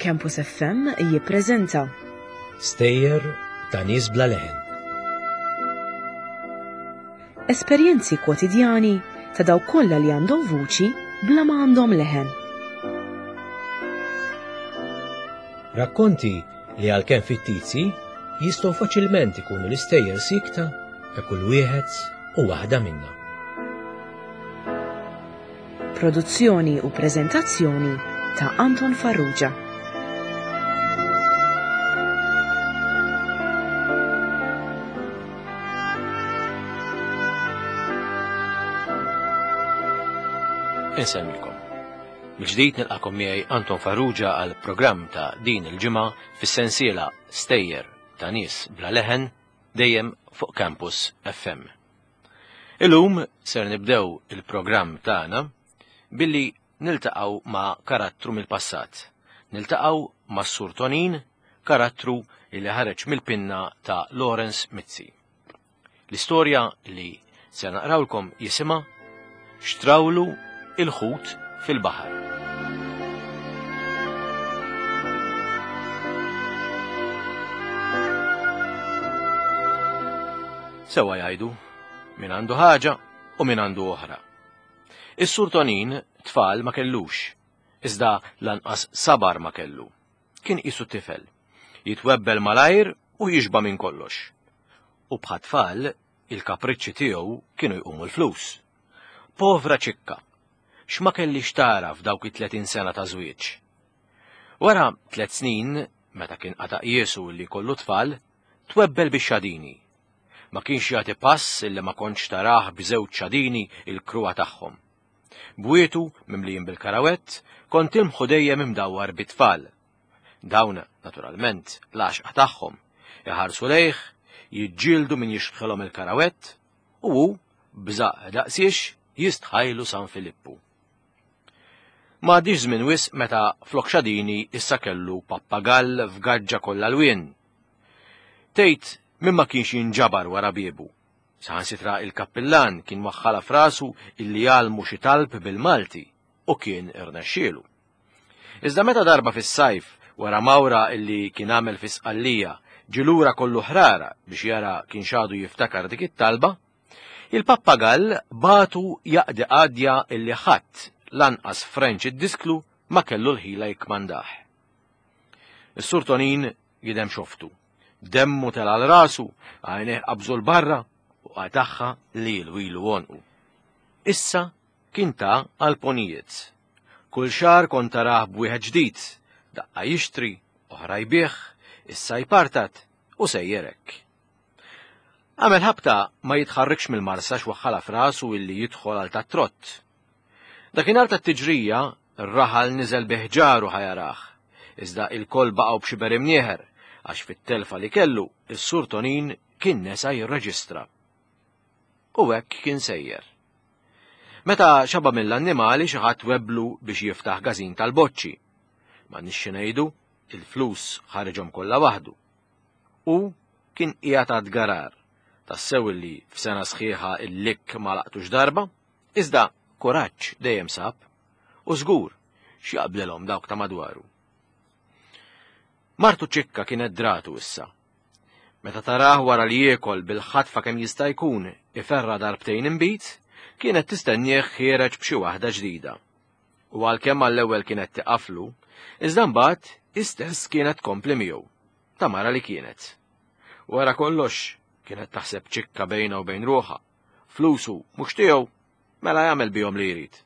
Campus FM jippreżenta Stejjer ta' nies bla leħen. Esperjenzi kwotidjani ta' dawk kollha li għandhom vuċi bla ma għandhom leħen. Rakkonti li għalkemm fittizji jistgħu faċilment ikunu l-istejjer sikta ta' kull wieħed u waħda minna. Produzzjoni u preżentazzjoni ta' Anton Farrugia. Insemmilkom. Mill-ġdid nilqakom miegħi Anton Farrugia għal programm ta' din il-ġimgħa fis-sensiela Stejjer ta' nies bla leħen dejjem fuq Campus FM. Illum ser nibdew il-programm tagħna billi niltaqgħu ma' karattru mill-passat. Niltaqgħu ma' Sur Tonin, karattru li ħareġ mill-pinna ta' Lawrence Mizzi. L-istorja li se naqrawlkom jisimha Xtrawlu il-ħut fil-baħar. Sewa jgħidu, min għandu ħaġa u min għandu oħra. Is-Sur Tonin tfal ma kellux, iżda lanqas sabar ma kellu. Kien qisu tifel, jitwebbel malajr u jixba minn kollox. U bħat-tfal, il-kapriċċi tiegħu kienu jqumu l-flus. Povra ċikka, x'ma kellix tara f'dawk it-30 sena ta' żwieġ. Wara tlet snin, meta kien qata' qiesu li jkollu tfal, twebbel bix-xadini. Ma kienx jagħti pass illi ma kontx tarah b'żewġ xadini il-kruha tagħhom. Bwietu mimlijin bil-karawett, kont ilmħu dejjem imdawwar bit-tfal. Dawn, naturalment, l-għaxqa tagħhom, iħarsu lejh, jiġġieldu min jixbħilhom il-karawett, u hu, b'żaqq daqsiex, jistħajlu San Filippu. Ma għaddiex żmien wisq meta flok xadini issa kellu pappagall f'gaġġa kollha lwien. Tgħid min ma kienx jinġabar wara biebu. Saħansitra il-kappillan kien waħħalha f'rasu illi jgħallmu xi talb bil-Malti u kien irnexxielu. Iżda meta darba fis-sajf, wara mawra illi kien għamel fi Sqallija, ġie lura kollu ħrara biex jara kienx għadu jiftakar dik it-talba, il-pappagall bagħtu jaqdi qadja illi ħadd, lanqas Frenċ id-disklu, ma kellu l-ħila jikkmandah. Is-Sur Tonin jidhem xoftu. Demmu tela' għal rasu, għajnejh qabżu 'l barra u qatagħha lilu ilu għonqu. Issa kien ta għal ponijiet. Kull xahar kont tarah b'wieħed ġdid, daqqa jixtri, oħra jbigħ, issa jpartat u sejjer hekk. Għamel ħabta ma jitħarrikx mill-marsa x'waħħalha f'rasu illi jidħol għal tat-trott. Dakinhar tat-tiġrija, r-raħal niżel bi ħġaru ħa jarah, iżda ilkoll baqgħu b'xiber imnieħer għax fit-telfa li kellu, is-Sur Tonin kien nesa jirreġistra. U hekk kien sejjer. Meta xaba mill-annimali xi ħadd webblu biex jiftaħ każin tal-boċċi. M'għandniex xi ngħidu, il-flus ħariġhom kollha waħdu. U kien qiegħed għad garar, tassew illi f'sena sħiħa il-likk ma laqtux darba, iżda kuraġġ dejjem sab, u żgur x'jaqblilhom dawk ta' madwaru. Martu ċikka kienet dratu issa. Meta tarah wara li jiekol bil-ħatfa kemm jista' jkun iferra darbtejn inbid, kienet tistennieh ħiereġ b'xi waħda ġdida. U għalkemm għall-ewwel kienet tiqaflu, iżda mbagħad hi stess kienet tkompli miegħu, ta' mara li kienet. Wara kollox, kienet taħseb ċikka bejnha u bejn ruħha, flusu mhux tiegħu, mela jagħmel bihom li jrid.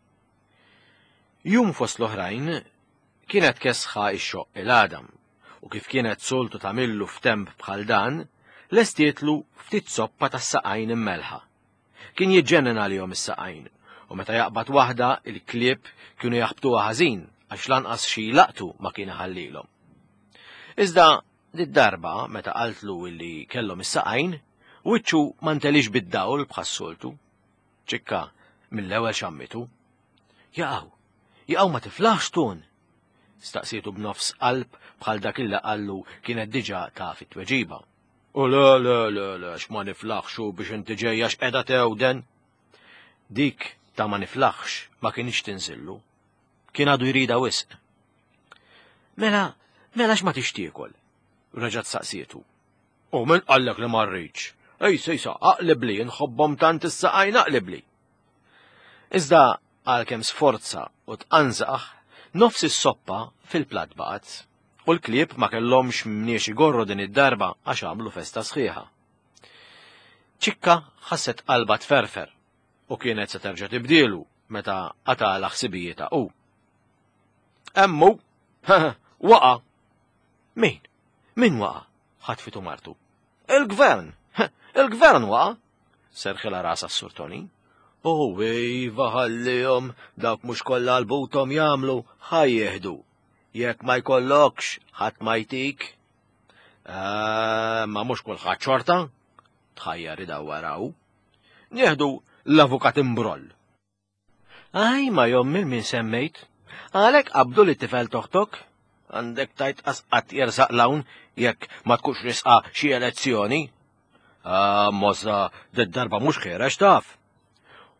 Jum fost l-oħrajn, kienet kesħa x-xoqq il-għadam u kif kienet soltu tagħmillu f'temp bħal dan, lestietlu ftit soppa tas-saqajn immelħa. Kien jiġġennen għalihom is-saqajn u meta jaqbad waħda il-klieb kienu jaħbtuha ħażin għax lanqas xi jlaqtu ma kien iħallilhom. Iżda did-darba meta qaltlu illi kellhom is-saqajn, wiċċu ma ntelix bid-dawl bħas-soltu. Ċikka mill-ewwel xammitu. Jaqgħu, jaqgħu ma tiflaħx tun, Staqsietu b'nofs qalb bħal dak illi qallu kienet diġà taf it-tweġiba. U le, le, le, le, x'ma niflaħx u biex inti ġejja x'qiegħda tewden. Dik ta' ma niflaħx ma kinitx tinżillu. Kien għadu jridha wisq. Mela, Mela x'ma tixtiekol? Reġgħet saqsietu. U min qallek li ma rridx? Ej sejsa, aqlibli, nħobbhom tant is-saqajn aqlibli. Iżda għalkemm sforza u tqanżaħ, nofs is-soppa fil-platt baqgħet. U l-klieb ma kellhomx mniex igorru din id-darba għax għamlu festa sħiħa. Ċikka ħasset qalba tferfer u kienet se terġa' tibdielu meta qatala ħsibijietha hu. Emmu, waqa'. Min? Min waqa'? Ħatfitu martu. Il-gvern! Il-gvern waqa'! Serħilha rasha s-Sur Tony. U iva ħallihom dawk mhux kollha għal-buthom jagħmlu ħa jieħdu. Jekk ma jkollokx ħadd ma jtik. Eh, ma mhux kulħadd xorta. Tħajjar idawwaraw. Nieħdu l-avukat imbroll. Aj, ma jom il min semmejt. Għalek qabdu li tifel toħtok. Għandek tajt qatt jersaq lawn jekk ma tkunx risqa xi elezzjoni. Ah, mozza, d-darba mhux ħerex taf.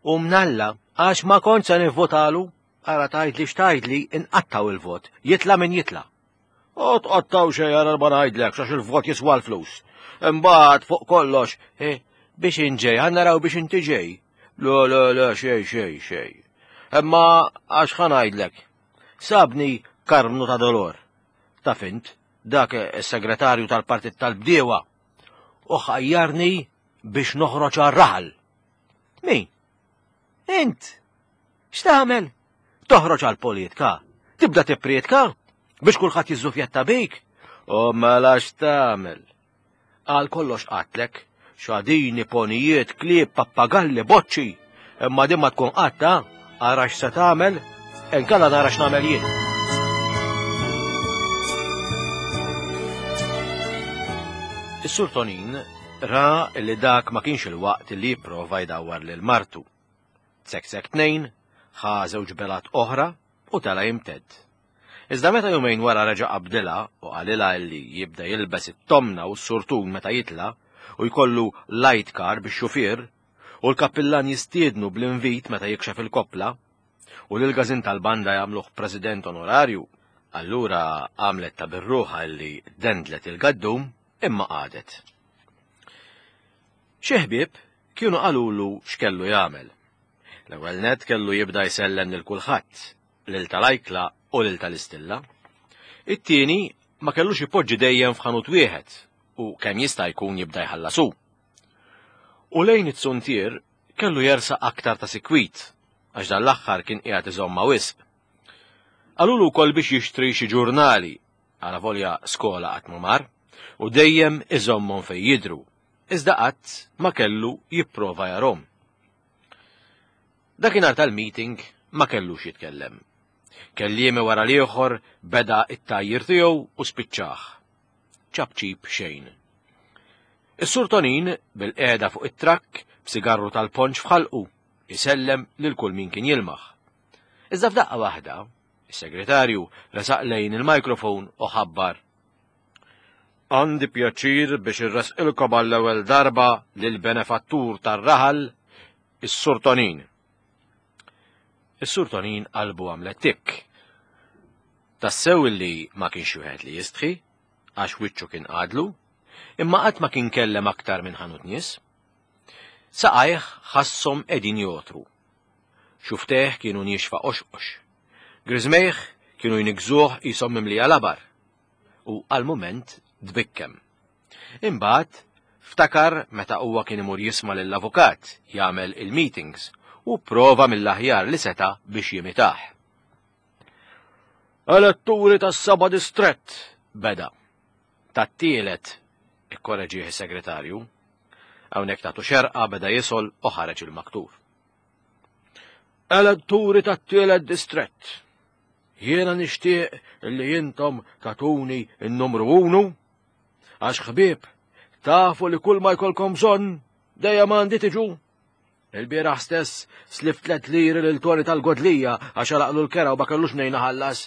U mnalla, għax ma kont se nivvotalu, ara tajdli x'tajdli inqattaw il-vot, jitla min jitla. U tqattaw xejn ara ma ngħidlek għax il-vot jiswa l-flus. Imbagħad fuq kollox, eh, biex inġej, ħa naraw biex inti ġej. Le, le, le, xej, xej, xej. Imma għax ħa ngħidlek. Sabni karmnu ta' dolor. Taf int, dak is-segretarju tal-Partit tal-Bdiewa u ħajjarni biex noħroġ għar-raħal. Min? Int? X'tagħmel? Toħroġ għall-politika? Tibda tipprietka? Biex kulħadd jiżżufjetta bik? U mela x'tagħmel? Għal kollox qatlek, xadini, ponijiet, klieb, pappagalli, boċċi. Imma din ma tkun qatta, ara x'se tagħmel, inkella nara x'nagħmel jien. Is-Sur Tonin ra li dak ma kienx il-waqt li jipprova jdawwar lil martu. Tseksek tnejn, ħa żewġ belat oħra u tela jimtedd. Iżda meta jumejn wara reġa' qabdilha u qalilha illi jibda jilbes it-tomna u s-surtun meta jitla' u jkollu light car bix-xufier u l-kappillan jistiednu bl-invit meta jikxef il-koppla u lill-każin tal-banda jagħmluh president onorarju, allura għamlet ta' bir-ruħha illi dendlet il-gaddum imma qagħdet. Xi ħbieb kienu qalulu x'kellu jagħmel. L-ewwel nett kellu jibda jsellem lil kulħadd, lil tal-ajkla u lil tal-istilla. It-tieni ma kellux ipoġġi dejjem f'ħanut wieħed u kemm jista' jkun jibda jħallas hu. U lejn it-suntier kellu jersaq aktar ta' sikwit għax dan l-aħħar kien qiegħed iżommha wisq. Qalulu wkoll biex jixtri xi ġurnali, alavolja skola qatt ma mar, u dejjem iżommhom fejn jidhru, iżda qatt ma kellu jipprova jarhom. Dakinhar tal-meeting ma kellux jitkellem. Kelliemi wara l-ieħor beda t-tgħajjir tiegħu u spiċċah. Ċapċip xejn. Is-Sur Tonin bil-qiegħda fuq it-trakk b'sigarru tal-ponċ f'ħalqu isellem lil kull min kien jilmaħ. Iżda f'daqqa waħda, is-segretarju resaq lejn il-mikrofon u ħabbar Għandi pjaċir biex irresqilkom għall-ewwel darba lill-benefattur tar-raħal, is-Sur Tonin. Is-Sur Tonin qalbu għamlet tikk. Tassew illi ma kienx wieħed li jistħi, għax wiċċu kien qadlu, imma qatt ma kien kellem aktar minn ħanut nies. Saqajh ħasshom qegħdin jotru. Xuftejh kienu niexfa qoxqox. Griżmejh kienu jniggżuh qishom mimlija labar. U għal mument tbikkem. Imbagħad ftakar meta huwa kien imur jisma' lill-avukat jagħmel il-meetings u pprova mill-aħjar li seta' biex jimitah. Eletturi tas-seba' distrett, beda. Tat-tielet, ikkoreġih is-segretarju. Hawnhekk tagħtu xerqa beda jisol u ħareġ il-maktur. Eletturi tat-tielet distrett, Jiena nixtieq li intom tagħtuni n-numru unu, għax ħbieb, tafu li kull ma jkollkom bżonn dejjem għandi tiġu. Il-bieraħ stess slift tlet liri lil Tony tal-Godlija għax għalaqlu l-kera u ma kellux mnejn iħallas.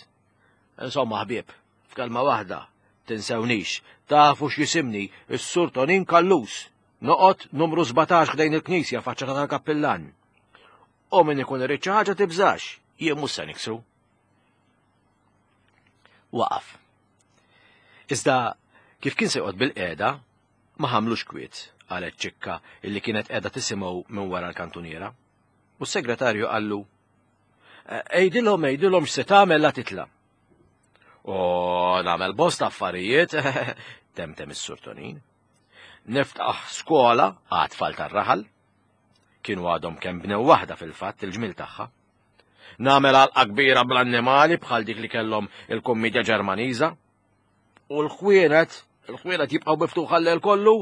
Insomma ħbieb, f'kelma waħda, tinsewnix, tafu x'jisimni s-Sur Tonin Callus, noqgħod numru 17 ħdejn il-knisja faċċata tal-kappillan. U min ikun irid xi ħaġa tibżax, jien mhux se niksru. Waqaf. Iżda kif kien se joqgħod bil-qiegħda, ma ħamlux kwiet, qalet Ċikka illi kienet qiegħda tisimgħu minn wara l-kantuniera. U s-segretarju qallu, Ejdilhom, ejdilhom x'se tagħmel la titla'. O nagħmel bosta affarijiet, temtem is-Sur Tonin. Niftaħ skola għat-tfal tar-raħal. Kienu għadhom kemm bnew waħda fil-fatt il-ġmil tagħha. Nagħmel għalqa kbira bl-annimali bħal dik li kellhom il-kummedja Ġermaniża. U l-ħwienet, il-ħwienet jibqgħu miftuħa l-lejl kollu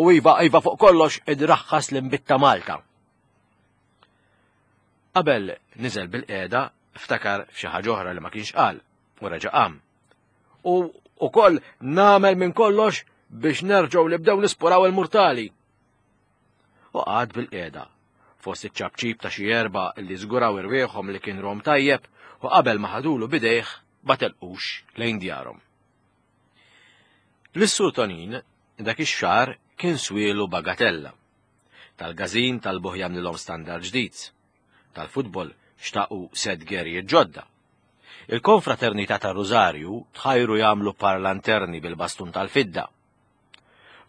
u iva, iva fuq kollox idraħħas l-inbid ta' Malta. Qabel niżel bil-qiegħda ftakar f'xi ħaġa oħra li ma kienx qal u reġa' qam. U ukoll nagħmel minn kollox biex nerġgħu nibdew nispuraw il-murtali. U qagħad bil-qiegħda fost iċ-ċapċip ta' xi erba' li żguraw irwieħhom li kien rom tajjeb u qabel ma ħadulu bidejh ma telqux lejn djarhom. Lis-Sur Tonin dak ix-xahar kien swielu bagatella. Tal-gażin talbuh jagħmlilhom standard ġdid. Tal-futbol xtaqu set gerijiet ġodda. Il-Konfraternità tar-Rużarju tħajru jagħmlu par lanterni bil-bastun tal-fidda.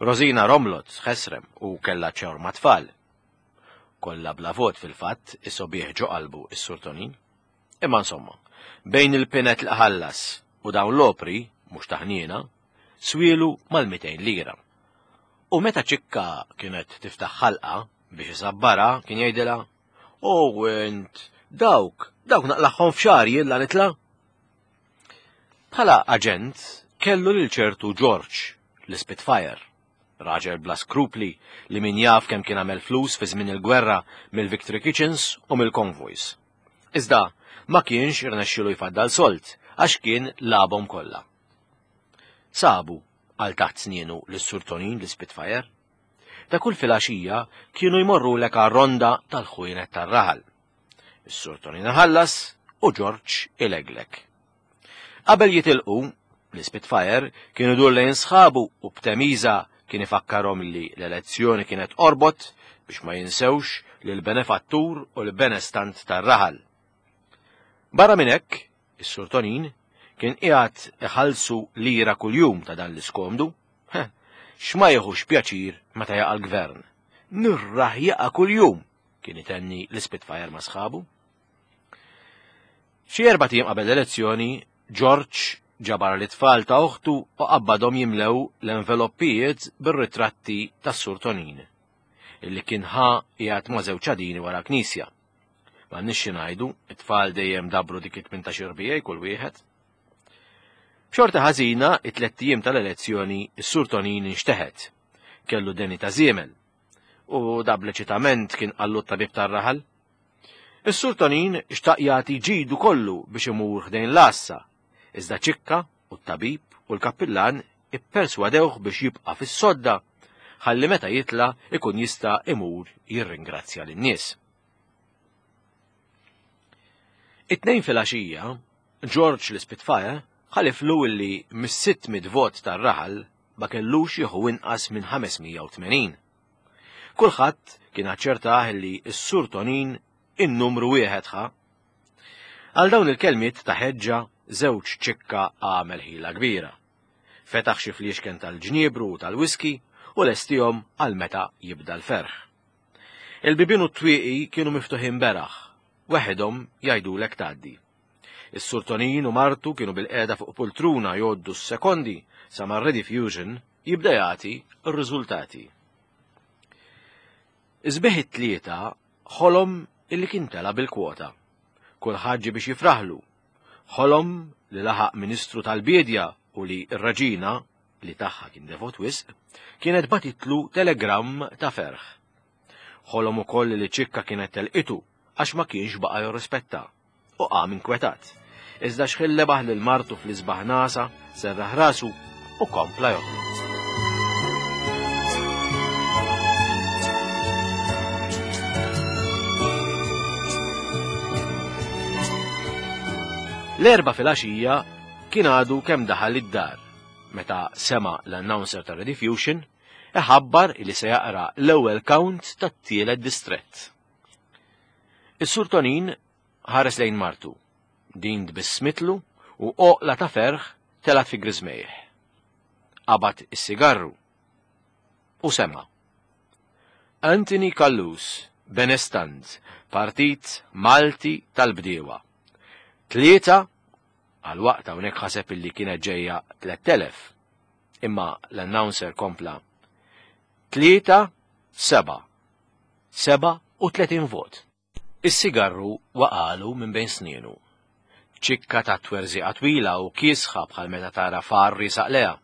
Rosina romlot ħesrem u kellha ċewr mat-tfal. Kollha bla vot fil-fatt isobih ġo qalbu s-Sur Tonin. Imma insomma, bejn il-pinet li ħallas u dawn l-opri, mhux ta' ħniena, swielu mal-200 lira. U meta Ċikka kienet tiftaħ ħalqha biex isabbarha kien jgħidilha, O int, dawk, dawk naqlagħhom f'xahar jien la nitla'. Bħala aġent kellu lil ċertu George, l-Spitfire, raġel bla skrupli li min jaf kemm kien għamel flus fi żmien il-gwerra mill-Victory Kitchens u mill-convoys. Iżda ma kienx irnexxielu jfaddal sold għax kien lagħabhom kollha. Sabu għal taħt snienu lis-Sur Tonin l-Spitfire. Ta' kull filgħaxija kienu jmorrulek għar-ronda tal-ħwienet tar-raħal. Is-Sur Tonin iħallas u Ġorġ ileglek. Qabel jitilqu, l-Spitfire kien idur lejn sħabu u b'temiża kien ifakkarhom li l-elezzjoni kienet qorbot biex ma jinsewx lill-benefattur u l-benestant tar-raħal. Barra minn hekk, is-Sur Tonin kien qiegħed iħallsu lira kuljum ta' dan l-iskomdu. X'ma jieħux pjaċir meta jaqa' l-gvern. Nirraħ jaqa' kuljum, kien itenni l-Spitfire ma' sħabu. Xi erbat ijiem qabel l-elezzjoni, George ġabar lit-tfal ta' oħtu u qabbadhom jimlew l-enveloppijiet bir-ritratti tas-Sur Tonin, illi kien ħa qiegħed ma' żewġ għadini wara l-knisja. M'għandniex xi ngħidu, it-tfal dejjem dabru dik it-18 irbijaj kull wieħed. B'xorti ħażina, it-tlett ijiem tal-elezzjoni, is-Sur Tonin inxteħet. Kellu deni ta' żiemel. U da bl-eċitament kien qallu t-tabib tar-raħal. Is-Sur Tonin xtaq jagħti ġidu kollu biex imur ħdejn l-għassa, iżda Ċikka u t-tabib u l-kappillan ipperswadewh biex jibqa' fis-sodda ħalli meta jitla' ikun jista' imur jirringrazzja lin-nies. It-Tnejn filgħaxija, George l-Ispitfire ħaliflu illi mis-600 vot tar-raħal ma kellux jieħu inqas minn 580. Kulħadd kien aċċertah li s-Sur Tonin in-numru wieħed ħa. Għal dawn il-kelmiet ta' ħeġġa żewġ ċikka għamel ħila kbira. Fetaħ xi fliexken tal-ġniebru u tal-whisky u lestihom għal meta jibda l-ferħ. Il-bibien u t-twieqi kienu miftuħin beraħ, weħidhom jgħidulek tgħaddi. Is-Sur Tonin u martu kienu bilqiegħda fuq pultruna jgħoddu s-sekondi sa ma r-Rediffusion jibda jagħti r-riżultati. Isbieħ it-Tlieta ħolom illi kien tela' bil-kwota. Kulħadd ġie biex jifraħlu. Ħolom li laħaq Ministru tal-Biedja u li r-Reġina, li tagħha kien devot wisq, kienet bagħtitlu telegramm ta' ferħ. Ħolom ukoll li Ċikka kienet telqitu għax ma kienx baqa' jirrispetta. u qam inkwetat. Iżda xħin lebaħ lil martu fl-isbaħ nasa, serraħ rasu u kompla joħloq. L-Erbgħa filgħaxija kien għadu kemm daħal id-dar meta sema' l-announcer ta' Rediffusion iħabbar li se jaqra l-ewwel count tat-tielet distrett. Is-Sur Tonin ħares lejn martu. Din tbissmitlu u għoqla ta' ferħ telgħet fi griżmejh. Qabad is-sigarru. U sema'. Anthony Callus, Benestant, Partit Malti tal-Bdiewa. 3 Għal waqt hawnhekk ħaseb illi kienet ġejja 3000. Imma l-announcer kompla 3 7 37 vot. Is-sigarru waqagħlu minn bejn snienu. Ċikka ta' twerżiqa twila u kiesħa bħal meta tara far riesaq lejha.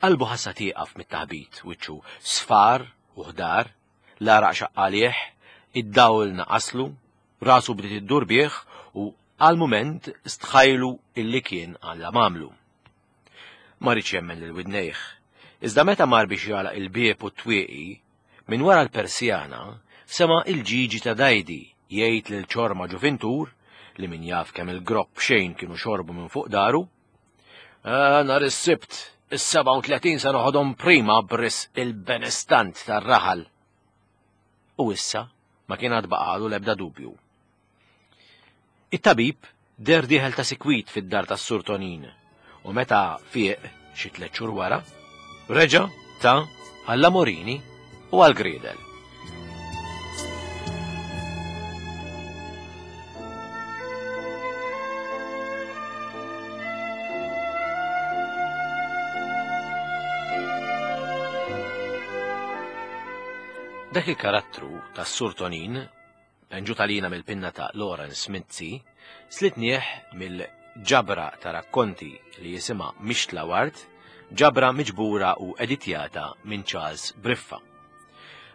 Qalbu ħassha tieqaf mit-taħbit, wiċċu sfar u ħdar, l-għaraq xaqq għalih, id-dawl naqaslu, rasu bdiet iddur bih u għal mument stħajlu illi kien Alla m'għamlu. Ma riedx jemmen lil widnejh. Iżda meta mar biex jagħlaq il-bieb u t-twieqi, Minn wara l-persjana sema' il-ġiġi ta' Dajdi jgħid lil ċorma ġuvintur li min jaf kemm il-gropp xejn kienu xorbu minn fuq daru, ah, Nhar is-Sibt, is-37 se noħodhom prima b'risq il-benestant tar-raħal. U issa ma kien għad baqalu l-ebda dubju. It-tabib deher dieħel ta' sikwit fid-dar tas-Sur Tonin u meta fieq xi tliet xhur wara, reġa' ta għall-amorini u għall-griedel. Dak il-karattru tas-Sur Tonin Penġut għalina mill-pinna ta' Lawrence Mizzi, slitnieh mill-ġabra ta' rakkonti li jisimha Mixtla Ward, ġabra miġbura u editjata minn Charles Briffa.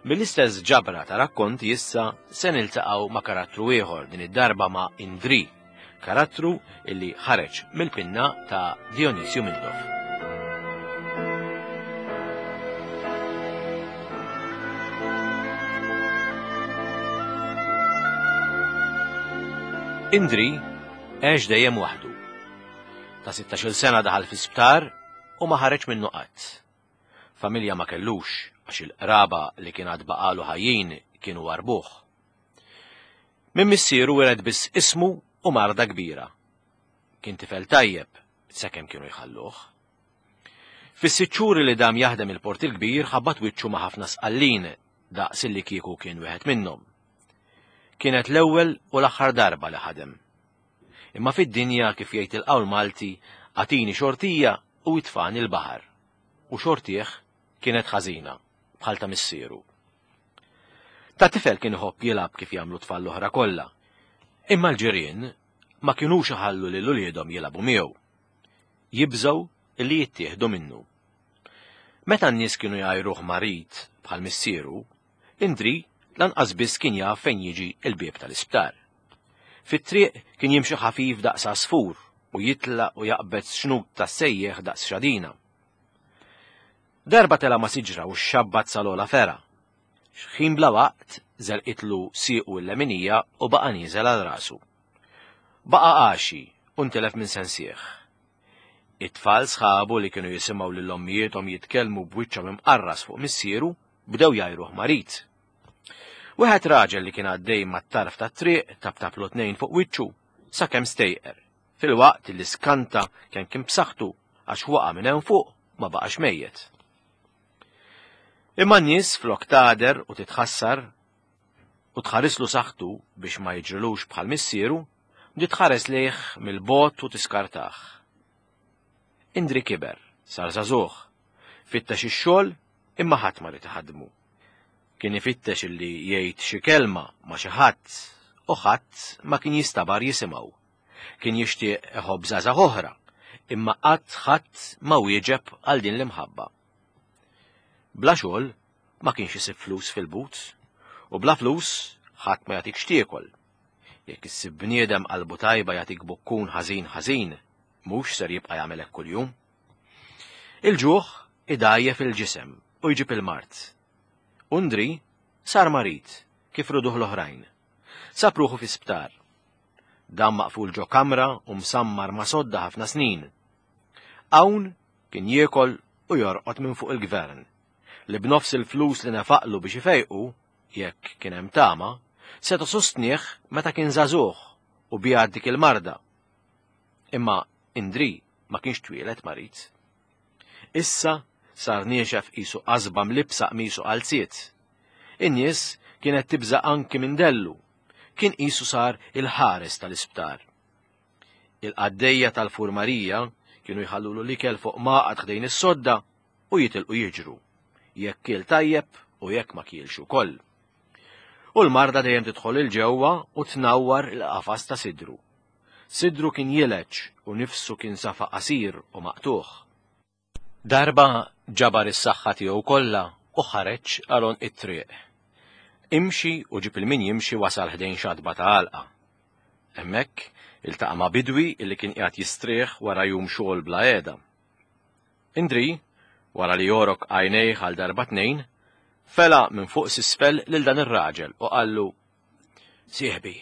Mill-istess ġabra ta' rakkonti issa se niltaqgħu ma' karattru ieħor din id-darba ma' Indri, Karattru illi ħareġ mill-pinna ta' Dionisju Mintoff. Indri għex dejjem waħdu. Ta' 16-il sena daħal fi sptar u ma ħareġ minnu qatt. Familja ma kellux għax il-qraba li kien għad baqalu ħajjin kienu warbuh. Minn missieru wiret biss ismu u marda kbira. Kien tifel tajjeb sakemm kienu jħalluh. Fis-sitt xhur li dam jaħdem il-Port il-Kbir ħabbat wiċċu ma' ħafna Sqallin daqs illi kieku kien wieħed minnhom. Kienet l-ewwel u l-aħħar darba li ħadem. Imma fid-dinja kif jgħid il-qawl Malti agħtini xortija u itfagħni l-baħar. U xortih kienet ħażina bħal ta' missieru. Ta' tifel kien iħobb jilgħab kif jagħmlu t-tfal l-oħra kollha. Imma l-ġirien ma kinux iħallu lil uliedhom jilagħbu miegħu. Jibżgħu li jittieħdu minnu. Meta n-nies kienu jgħajruh marid bħal missieru, Indri lanqas biss kien jaf fejn jiġi l-bieb tal-isptar. Fit-triq kien jimxi ħafif daqs għasfur u jitlaq u jaqbed xnut tas-sejjieħ daqs xadina. Darba tela' ma' siġra u xxabbat sal-ogħla fergħa. X'ħin bla waqt żelqitlu siequ l-leminija u baqa' nieżel għal rasu. Baqa' għaxi u ntilef minn sensih. It-tfal sħabu li kienu jisimgħu lil ommijiethom jitkellmu b'wiċċhom imqarras fuq missieru bdew jgħajruh marid. Wieħed raġel li kien għaddej mat-tarf tat-triq taptaplu tnejn fuq wiċċu sakemm stejqer. Filwaqt li skanta kemm kien b'saħħtu għax waqa' minn hemm fuq ma baqax mejjet. Imma n-nies flok tagħder u titħassar u tħarislu saħħtu biex ma jiġrilux bħal missieru, bdiet tħares lejh mill-bogħod u tiskartah. Indri kiber, sar żagħżugħ, fittex ix-xogħol imma ħadd ma ried iħaddmu. Kien ifittex illi jgħid xi kelma ma' xi ħadd u ħadd ma kien jistabar jisimgħu. Kien jixtieq iħobb żgħażagħ oħra, imma qatt ħadd ma wieġeb għal din l-imħabba. Bla xogħol ma kienx isib flus fil-but, u bla flus ħadd ma jagħtik x'tiekol. Jekk issib bniedem qalbu tajba jagħtik bukkun ħażin ħażin, mhux ser jibqa' jagħmel hekk kuljum. Il-ġuħ idgħajjef il-ġisem u jġib il-mard. Undri sar marid kif riduh l-oħrajn. Sab ruħu fi sptar. Dam maqful ġo kamra u msammar ma' sodda ħafna snin. Hawn kien jiekol u jorqod minn fuq il-gvern, li b'nofs il-flus li nefaqlu biex ifejqu, jekk kien hemm tama, seta' sostnieh meta kien żagħżugħ u biegħed dik il-marda. Imma Indri ma kienx twieled marid. Issa sar niexef qisu qasba mlibbsa qmisu qalziet. In-nies kienet tibża' anki minn dellu. Kien qisu sar il-ħares tal-isptar. Il-qaddejja tal-furmarija kienu jħallulu l-ikel fuq maqgħad ħdejn is-sodda u jitilqu jiġru, jekk kiel tajjeb u jekk ma kielx ukoll. U l-marda dejjem tidħol 'il ġewwa u tnawwar il-qafas ta' sidru. Sidru kien jileġ u nifsu kien safa qasir u maqtugħ. Darba ġabar is-saħħa tiegħu kollha u ħareġ għal għonq it-triq. Imxi u ġib il-min jimxi wasal ħdejn xatba ta' għalqa. Hemmhekk iltaqa' ma' bidwi li kien qiegħed jistrieħ wara jum xogħol bla qiegħda. Indri, wara li għorok għajnejh għal darba tnejn, fela minn fuq s'isfel lil dan ir-raġel u qallu, Sieħbi,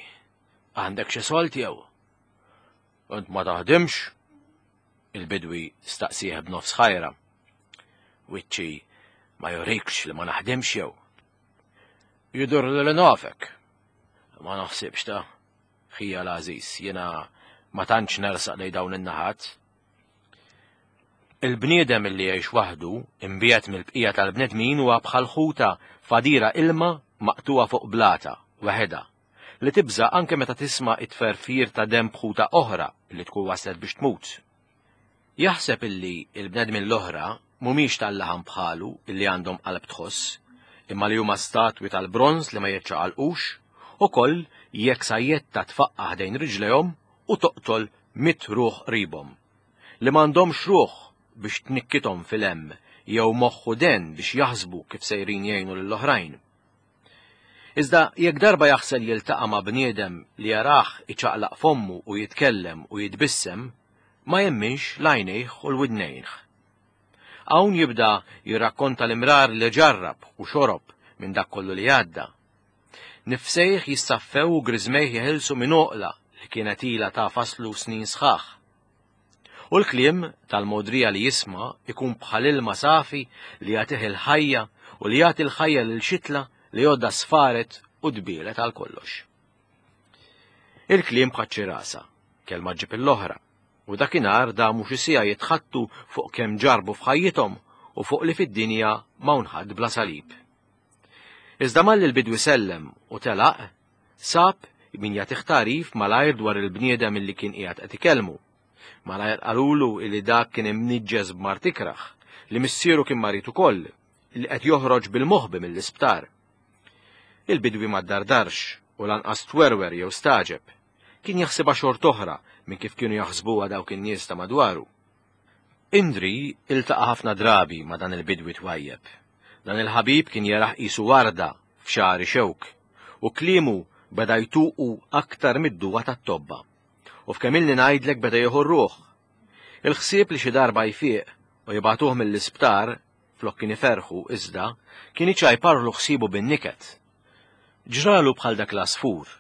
għandek xi sold jew? Int ma taħdimx? Il-bidwi staqsih b'nofs ħajra. Wiċċi ma jurikx li ma naħdimx jew? Jidur li nafek. Ma naħsibx ta' ħija l-għażiż, jiena ma tantx nersaq lej dawn in-naħat. Il-bniedem li jgħix waħdu, imbiegħed mill-bqija tal-bnedmin huwa bħal ħuta f'għadira ilma maqtugħa fuq blata, waħedha, li tibża' anke meta tisma' t-tferfir ta' denb ħuta oħra li tkun waslet biex tmut. Jaħseb illi l-bnedmin l-oħra mhumiex tal-laħam bħalu illi għandhom qalb tħoss, imma li huma statwi tal-bronż li ma jiċċaqalqux, ukoll jekk sajjetta tfaqqa' ħdejn riġlejhom u toqtol mitt ruħ qribhom, li m'għandhomx ruħ biex tnikkithom fil-hemm jew moħħ u den biex jaħsbu kif sejrin jgħinu lill-oħrajn. Iżda jekk darba jaħsel jiltaqa' ma' bniedem li jarah iċaqlaq fommu u jitkellem u jitbissem, ma jemminx l-għajnejh u l-widnejnh. Hawn jibda jirrakkonta l-imrar li ġarrab u xorob minn dak kollu li għadda. Nifsejh jissaffew u griżmejh jeħilsu minn għoqla li kienet ilha tagħfaslu snin sħaħ. U l-kliem tal-mogħdrija li jisma' ikun bħal ilma safi li jagħtih il-ħajja u li jagħti l-ħajja lil xitla li għodha sfaret u tbielet għal kollox. Il-kliem bħaċ-ċirasa, kelma ġġib l-oħra, u dakinhar damu xi siegħa jitħattu fuq kemm ġarbu f'ħajjithom u fuq li fid-dinja m'hawn ħadd bla salib. Iżda malli l-bidwi sellem u telaq, sab min jagħtih tagħrif malajr dwar il-bniedem illi kien qiegħed qed ikellmu. Malajr qalulu illi dak kien imniġġes b'mard ikrah, li missieru kien marid ukoll, li qed joħroġ bil-moħbi mill-isptar. Il-bidwi ma ddardarx u lanqas twerwer jew stagħġeb. Kien jaħsibha xort'oħra minn kif kienu jaħsbuha dawk in-nies ta' madwaru. Indri iltaqa' ħafna drabi ma' dan il-bidwi twajjeb. Dan il-ħabib kien jarah qisu warda f'xagħar ixewk, u kliemu beda jtuqu aktar mid-duwa tat-tobba. U f'kemm ilni ngħidlek beda jieħu r-ruħ. Il-ħsieb li xi darba jfiq u jibagħtuh mill-isptar flok kien iferrħu iżda kien iċajparlu ħsiebu bin-niket. Ġralu bħal dak l-għasfur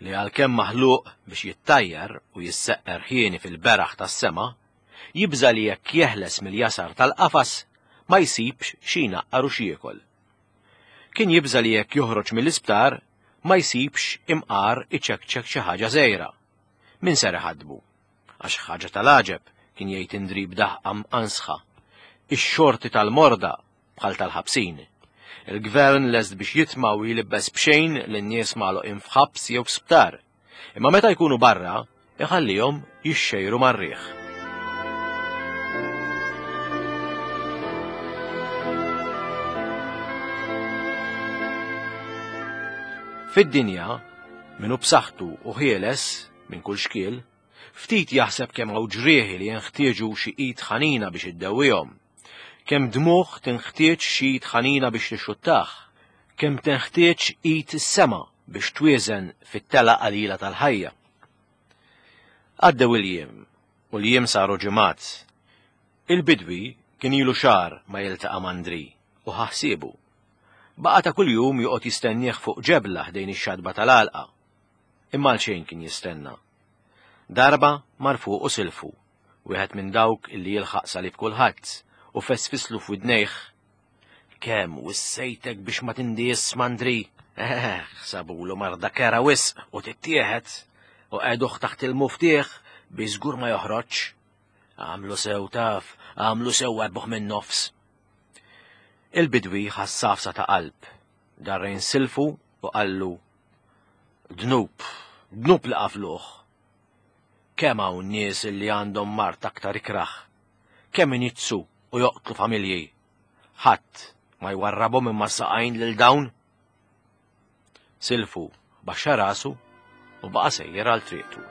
li għalkemm maħluq biex jittajjar u jisseqqer ħieni fil-beraħ tas-sema, jibża' li jekk jeħles mill-jasar tal-qafas ma jsibx xi jnaqqar u x'jiekol. Kien jibża' li jekk joħroġ mill-isptar ma jsibx imqar iċekċek xi ħaġa żgħira. Min ser iħaddbu? Għax ħaġa tal-għaġeb, kien jgħid Indri b'daħqa mqansħa. Ix-xorti tal-morda bħal tal-ħabsin. Il-gvern lest biex jitma' u jlibbes b'xejn lin-nies magħluqin f'ħabs jew f'sptar. Imma meta jkunu barra, iħallihom jixxejru mar-riħ. Fid-dinja, min hu b'saħħtu u ħieles minn kull xkiel, ftit jaħseb kemm hawn ġrieħi li jenħtieġu xi id ħanina biex iddewwihom. Kemm dmugħ tinħtieġ xi id ħanina biex tixxuttah. Kemm tenħtieġ id is-sema biex twieżen fit-telgħa qalila tal-ħajja. Għaddew il-jiem, u l-jiem saru ġimgħat. Il-bidwi kien ilu xahar ma jiltaqa' m'Andri u ħa ħsiebu. Baqa' ta' kuljum joqgħod jistennieh fuq ġebla ħdejn ix-xatba tal-għalqa. Imma għalxejn kien jistenna. Darba mar fuqu silfu, wieħed minn dawk illi jilħaq salib kulħadd, u fesfislu f'widnejh Kemm wissejtek biex ma tindies m'Andri? Eh, sabulu marda kera wisq u tittieħed u qegħduh taħt il-muftieħ biex żgur ma joħroġx. Għamlu sew taf Għamlu sew warbuh minn nofs. Il-bidwi ħass għafsa ta' qalb, darrejn silfu u qallu, Dnub, dnub li qafluh. Kemm hawn nies li għandhom mard aktar ikrah, kemm iniġġsu u joqtlu familji. Ħadd ma jwarrabhom imma saqajn lil dawn. Silfu baxxa rasu u baqa' sejjer għal triqtu.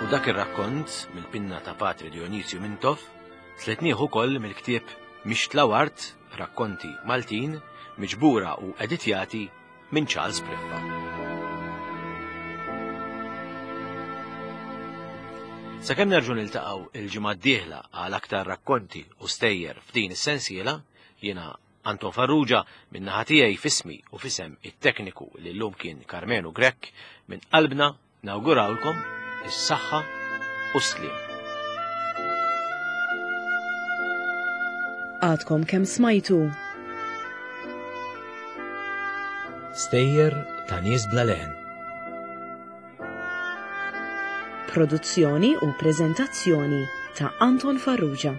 U dak ir-rakkont mill-pinna ta' Patri Dionisju Mintoff sletnieh ukoll mill-ktieb Mixtla Wart, Rakkonti Maltin, miġbura u editjati minn Charles Briffa. Sakemm nerġgħu niltaqgħu il-ġimgħa d-dieħla għal aktar rakkonti u stejjer f'din is-sensiela, jiena Anton Farrugia minn naħa tiegħi f'ismi u f'isem it-tekniku li llum kien Karmenu Grech minn qalbna Nawgurawlkom is-saħħa u s-sliem. Għadkom kemm smajtu. Stejjer ta' nies bla leħen. Produzzjoni u preżentazzjoni ta' Anton Farrugia.